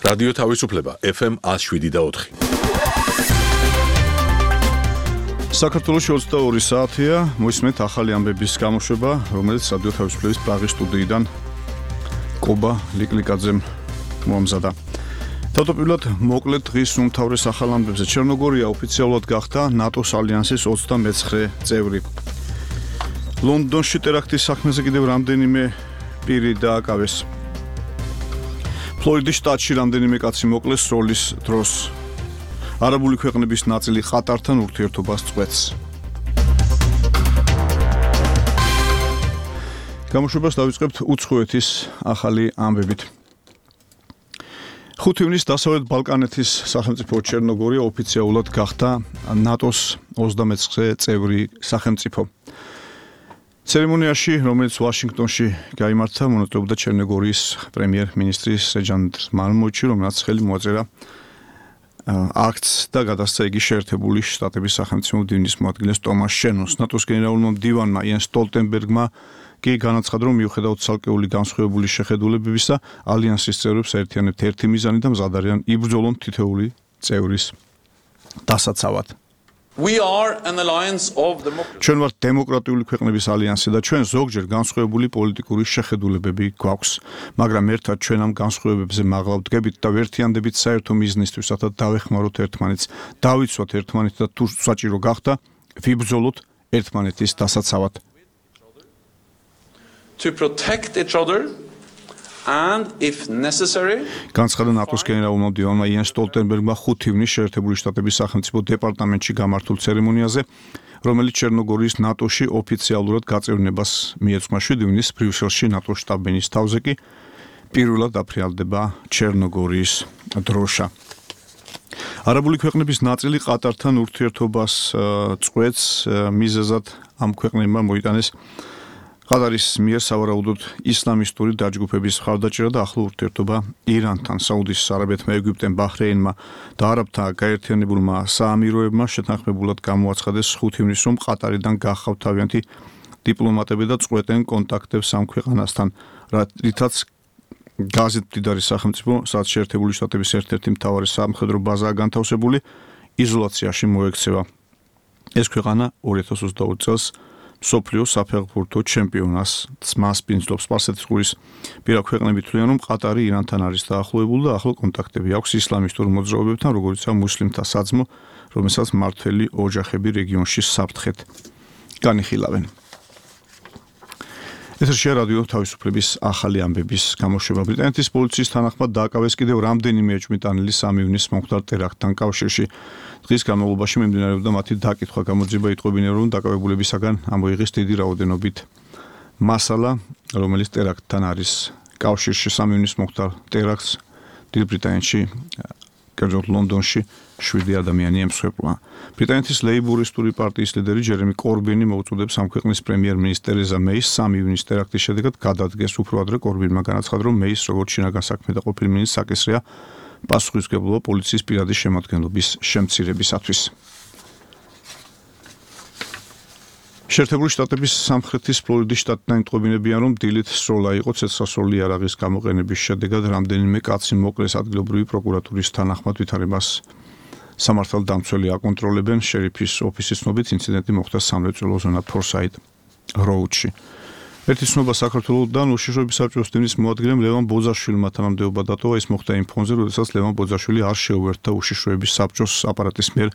რადიო თავისუფლება FM 107.4. საქართველოში 22 საათია, მოისმენთ ახალი ამბების გამოშვება, რომელიც რადიო თავისუფლების პრაღის სტუდიიდან კობა ლიკლიკაძემ მოამზადა. თავდაპირველად მოკლედ დღის უმთავრეს ახალ ამბებზე ჩერნოგორია ოფიციალურად გახდა ნატოს ალიანსის 29 წევრი. ლონდონში ტერაქტის საქმეზე კიდევ რამდენიმე პირი დააკავეს. ფლორიდის შტატში რამდენიმე კაცი მოკლეს სროლის დროს. არაბული ქვეყნების ნაწილი ყატართან ურთიერთობას წყვეტს. გამოშვებას დავიწყებთ უცხოეთის ახალი ამბებით. 5 ივნისს დასავლეთ ბალკანეთის სახელმწიფო ჩერნოგორია ოფიციალურად გახდა ნატოს 29 წევრი სახელმწიფო. ცერემონიაში, რომელიც ვაშინგტონში გაიმართა, მონაწილეობდა ჩერნოგორიის პრემიერ-მინისტრი სერჟან მალმოიჩი, რომელსაც ხელი მოაწერა აქტს და გადასცა იგი შეერთებული შტატების სახელმწიფო მდივნის მოადგილეს ტომას შენონს. ნატოს გენერალურმა მდივანმა იენს სტოლტენბერგმა კი განაცხადა, რომ მიუხედავად ცალკეული განსხვავებული შეხედულებებისა, ალიანსის წევრებს აერთიანებთ ერთი მიზანი და მზად არიან იბრძოლონ თითოეული წევრის დასაცავად. ჩვენ ვართ დემოკრატიული ქვეყნების ალიანსი და ჩვენ ზოგჯერ განსხვავებული პოლიტიკური შეხედულებები გვაქვს, მაგრამ ერთად ჩვენ ამ განსხვავებებზე მაღლა ვდგებით და ვერთიანდებით საერთო მიზნისთვის, რათა დავეხმაროთ ერთმანეთს, დავიცვათ ერთმანეთს და თუ საჭირო გახდა, ვიბრძოლოთ ერთმანეთის დასაცავად. To protect each other and if necessary განცხადა ნატოს გენერალურმა მდივანმა იენს სტოლტენბერგმა 5 ივნისს შეერთებული შტატების სახელმწიფო დეპარტამენტში გამართულ ცერემონიაზე, რომელიც ჩერნოგორიის ნატოში ოფიციალურად გაწევრნებას მიეძღვნა. 7 ივნისს ბრიუსელში ნატოს შტაბ-ბინის თავზე კი პირველად აფრიალდება ჩერნოგორიის დროშა. არაბული ქვეყნების ნაწილი ყატართან ურთიერთობას წყვეტს, მიზეზად ამ ქვეყნებმა მოიტანეს ყატარის მიერ სავარაუდოდ ისლამისტური დაჯგუფების მხარდაჭერა და ახლო ურთიერთობა ირანთან, საუდის არაბეთმა, ეგვიპტემ, ბაჰრეინმა და არაბთა გაერთიანებულმა საამიროებმა შეთანხმებულად გამოაცხადეს 5 ივნისს, რომ ყატარიდან გახავთ თავიანთი დიპლომატები და წყვეტენ კონტაქტებს ამ ქვეყანასთან, რითაც გაზეთ მდიდარი სახელმწიფო, სადაც შეერთებული შტატების ერთ-ერთი მთავარი სამხედრო ბაზაა განთავსებული, იზოლაციაში მოექცევა. ეს ქვეყანა 2022 წელს მსოფლიოს საფეხბურთო ჩემპიონატს მასპინძლობს. სპარსეთის ყურის პირა ქვეყნები თვლიან, რომ ყატარი ირანთან არის დაახლოებული და ახლო კონტაქტები აქვს ისლამისტურ მოძრაობებთან, როგორიცაა მუსლიმთა საძმო, რომელსაც მმართველი ოჯახები რეგიონში საფრთხეთ განიხილავენ. ეთერშია რადიო თავისუფლების ახალი ამბების გამოშვება. ბრიტანეთის პოლიციის თანახმად დააკავეს კიდევ რამდენიმე ეჭვმიტანილი 3 ივნისს მომხდარ ტერაქტთან კავშირში. დღის განმავლობაში მიმდინარეობდა მათი დაკითხვა. გამოძიება იტყობინებდა, რომ დაკავებულებისაგან ამოიღეს დიდი რაოდენობით მასალა, რომელიც ტერაქტთან არის კავშირში. 3 ივნისს მომხდარ ტერაქტს დიდ ბრიტანეთში, კერძოდ ლონდონში 7 ადამიანი ემსხვერპლა. ბრიტანეთის ლეიბურისტული პარტიის ლიდერი ჯერემი კორბინი მოუწოდებს ამ ქვეყნის პრემიერ-მინისტრ ტერეზა მეის 3 ივნისის ტერაქტის შედეგად გადადგეს. უფრო ადრე კორბინმა განაცხადა, რომ მეის როგორც შინაგან საქმეთა ყოფილი მინისტრი საკისრია პასუხისმგებლობა პოლიციის პირადი შემადგენლობის შემცირებისათვის. შეერთებული შტატების სამხრეთის ფლორიდის შტატიდან იტყობინებიან, რომ დილით სროლა იყო ცეცხლსროლი იარაღის გამოყენების შედეგად რამდენიმე კაცი მოკლეს. ადგილობრივი პროკურატურის თანახმად ვითარებას სამართალდამცველი აკონტროლებენ. შერიფის ოფისის ცნობით ინციდენტი მოხდა სამრეწველო ზონა ფორსაით როუდში. ერთი ცნობა საქართველოსდან უშიშროების საბჭოს მდივნის მოადგილემ ლევან ბოძაშვილმა თანამდებობა დატოვა. ეს მოხდა იმ ფონზე, როდესაც ლევან ბოძაშვილი არ შეუერთდა უშიშროების საბჭოს აპარატის მიერ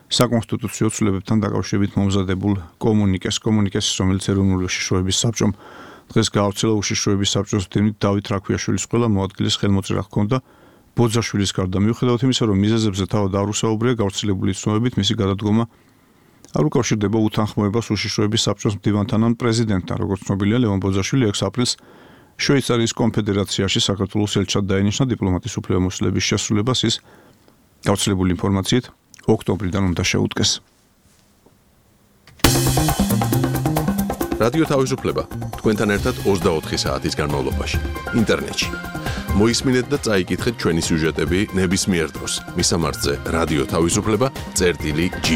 საკონსტიტუციო ცვლილებებთან დაკავშირებით მომზადებულ კომუნიკეს, რომელიც ეროვნული უშიშროების საბჭომ დღეს გაავრცელა. უშიშროების საბჭოს მდივნით დავით რაქვიაშვილის ყველა მოადგილის ხელმოწერა ჰქონდა ბოძაშვილის გარდა. მიუხედავად იმისა, რომ მიზეზებზე თავად არ უსაუბრია, გავრცელებული ცნობებით მისი გადადგომა არ უკავშირდება უთანხმოებას უშიშროების საბჭოს მდივანთან ან პრეზიდენტთან. როგორც ცნობილია, ლევან ბოძაშვილი 6 აპრილს შვეიცარიის კონფედერაციაში საქართველოს ელჩად დაენიშნა. დიპლომატის უფლებამოსილების შესრულებას ის გავრცელებული ინფორმაციით ოქტომბრიდან უნდა შეუდგეს. რადიო თავისუფლება თქვენთან ერთად 24 საათის განმავლობაში ინტერნეტში. მოისმინეთ და წაიკითხეთ ჩვენი სიუჟეტები ნებისმიერ დროს. მისამართზე რადიო თავისუფლება წერტილი G.